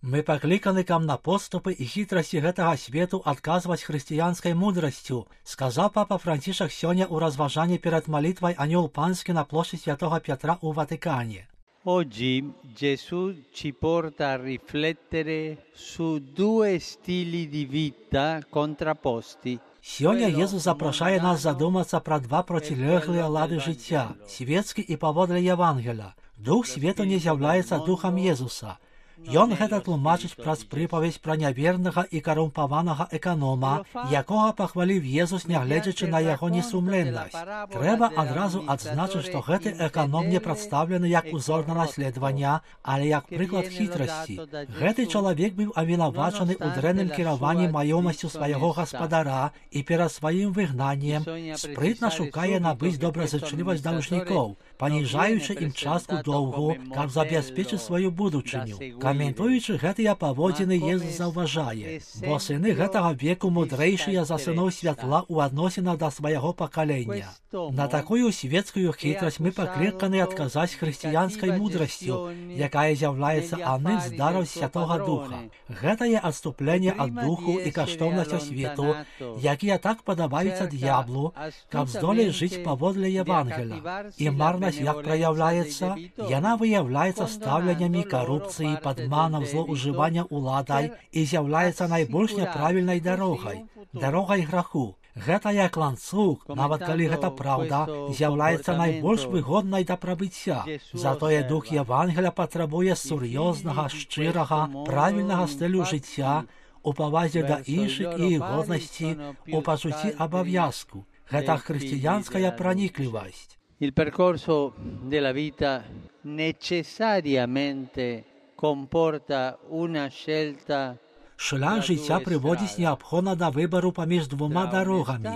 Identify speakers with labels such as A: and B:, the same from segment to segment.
A: Мы пакліканы кам на подступы і хітрасці гэтага свету адказваць хрысціянскай мудрасцю, сказаў папа Францішак сёння ў разважанні перад малітвай Анёл Панскі на плошчы Святого Петра ў Ватикане.
B: Oggi Gesù ci porta a riflettere su due stili di vita contrapposti.
A: Сёння Езус запрашае нас задумацца пра два процілеглыя лады жыцця, свецкі і паводле Евангеля. Дух свету не з'яўляецца духам Езуса. Ён гэта тлумачыць праз прыпаведь пра нявернага і карумпаванага эканома, якога пахваліў Езус, нягледзячы на яго несумленнасць. Трэба адразу адзначыць, што гэты эканом не прадстаўлены як узор на наследавання, але як прыклад хітрасці. Гэты чалавек быў абвінавачаны ў дрэнным кіраванні маёмасцю свайго гаспадара і перад сваім выгнаннем спрытна шукае набыць добразычлівасць даўжнікоў, паніжаючы ім частку доўгу, каб забяспечыць сваю будучыню. Каментуючы гэтыя паводзіны, Езус заўважае, бо сыны гэтага веку мудрэйшыя за сыноў святла ў адносінах да свайго пакалення. На такую светскую хітрасць мы пакліканы адказаць хрысціянскай мудрасцю, якая з'яўляецца адным з дараў Святога Духа. Гэтае адступленне ад духу і каштоўнасцяў свету, якія так падабаюцца д'яблу, каб здолець жыць паводле Евангеля. І марнасць як праяўляецца? Яна выяўляецца стаўленнямі карупцыі, падманам, злоўжывання ўладай і з'яўляецца найбольш няправільнай дарогай граху. Гэта як ланцуг, нават калі гэта праўда, з'яўляецца найбольш выгоднай да прабыцця. Затое дух Евангеля патрабуе сур'ёзнага, шчырага, правільнага стылю жыцця, у павазе да іншых і іх годнасці, у пачуцці абавязку. Гэта хрысціянская праніклівасць.
B: Il percorso della vita necessariamente comporta una scelta.
A: Шлях жыцця прыводзіць неабходна да выбару паміж двума дарогамі,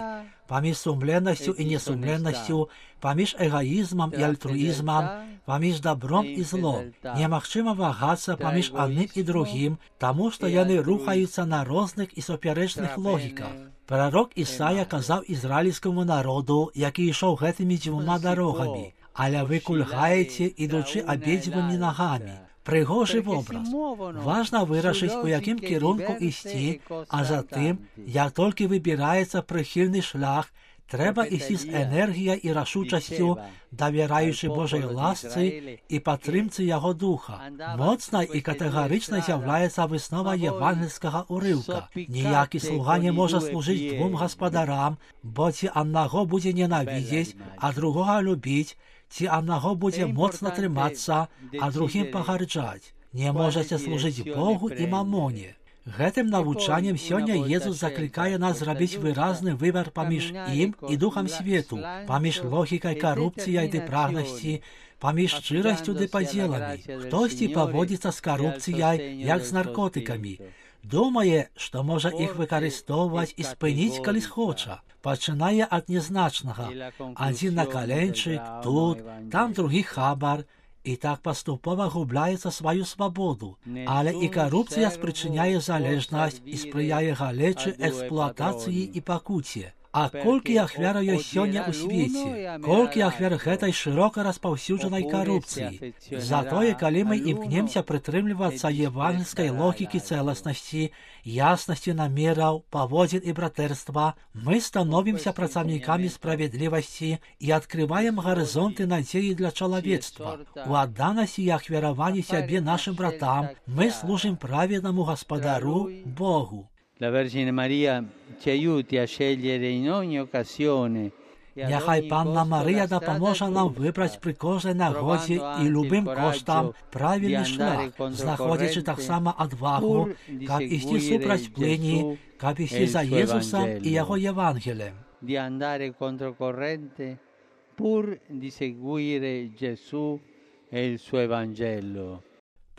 A: паміж сумленнасцю і несумленнасцю, паміж эгаізмам і альтруізмам, паміж добром і злом. Немагчыма вагацца паміж адным і другім, таму што яны рухаюцца на розных і супярэчных логіках. Прарок Ісая казаў ізраільскаму народу, які ішоў гэтымі дзвюма дарогамі, але вы кульгаеце, ідучы абедзвюмі нагамі. Прыгожы вобраз. Важна вырашыць, у якім кірунку ісці, а затым, як толькі выбіраецца прыхільны шлях, трэба ісці з энергіяй і рашучасцю, давяраючы Божай ласцы і падтрымцы яго духа. Моцнай і катэгарычнай з'яўляецца выснова евангельскага ўрыўка. Ніякі слуга не можа служыць двум гаспадарам, бо ці аднаго будзе ненавідзець, а другога любіць, ці аднаго будзе моцна трымацца, а другім пагарджаць. Не можаце служыць Богу і мамоне. Гэтым навучаннем сёння Езус заклікае нас зрабіць выразны выбар паміж ім і духам свету, паміж логікай карупцыяй ды прагнасці, паміж шчырасцю ды падзеламі. Хтосьці паводзіцца з карупцыяй, як з наркотыкамі. Думае, што можа іх выкарыстоўваць і спыніць, калі схоча. Пачынае ад нязначнага. Адзін накаленчык, тут, там другі хабар, і так паступова губляецца сваю свабоду. Але і карупцыя спрычыняе залежнасць і спрыяе галечы, эксплуатацыі і пакуце. А колькі ахвяраў ёсць сёння ў свеце? Колькі ахвяр гэтай шырока распаўсюджанай карупцыі? Затое, калі мы імкнемся прытрымлівацца евангельскай логікі цэласнасці, яснасці намераў, паводзін і братэрства, мы становімся працаўнікамі справядлівасці і адкрываем гарызонты надзеі для чалавецтва. У адданасці і ахвяраванні сябе нашым братам мы служым праведнаму гаспадару Богу.
B: La Vergine Maria ci aiuti a scegliere in ogni occasione.
A: Няхай Панна Марыя дапаможа нам выбраць пры кожнай нагодзе і любым коштам правільны шлях, знаходзячы таксама адвагу, каб ісці супраць плыні, каб ісці за Езусам і яго Евангелем.
B: Di andare controcorrente pur di seguire Gesù e il suo Evangelo.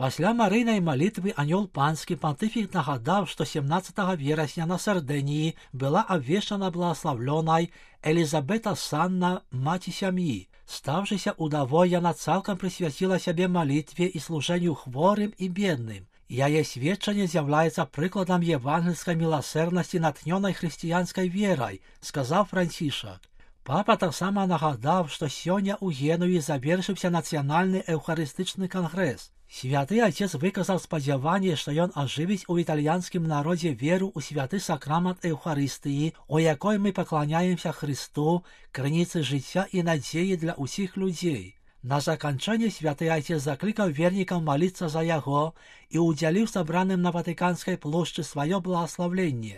A: Пасля марыйнай малітвы Анёл Панскі пантыфік нагадаў, што 17 верасня на Сардыніі была абвешчана благаслаўлёнай Элізабета Санна, маці сям'і. Стаўшыся удавой, яна цалкам прысвяціла сябе малітве і служэнню хворым і бедным. Яе сведчанне з'яўляецца прыкладам евангельскай міласэрнасці натхнёнай хрысціянскай верай, сказаў Францішак. Папа таксама нагадаў, што сёння ў Генуі завершыўся нацыянальны эўхарыстычны кангрэс. Святый Отец выказал сподівання, що ён оживить у італійському народі віру у святий сакрамент Евхаристії, у якої ми поклоняємося Христу, криниці життя і надії для усіх людей. На закінчення святий Отець закликав вірникам молитися за його і уділив собраним на Ватиканській площі своє благословення.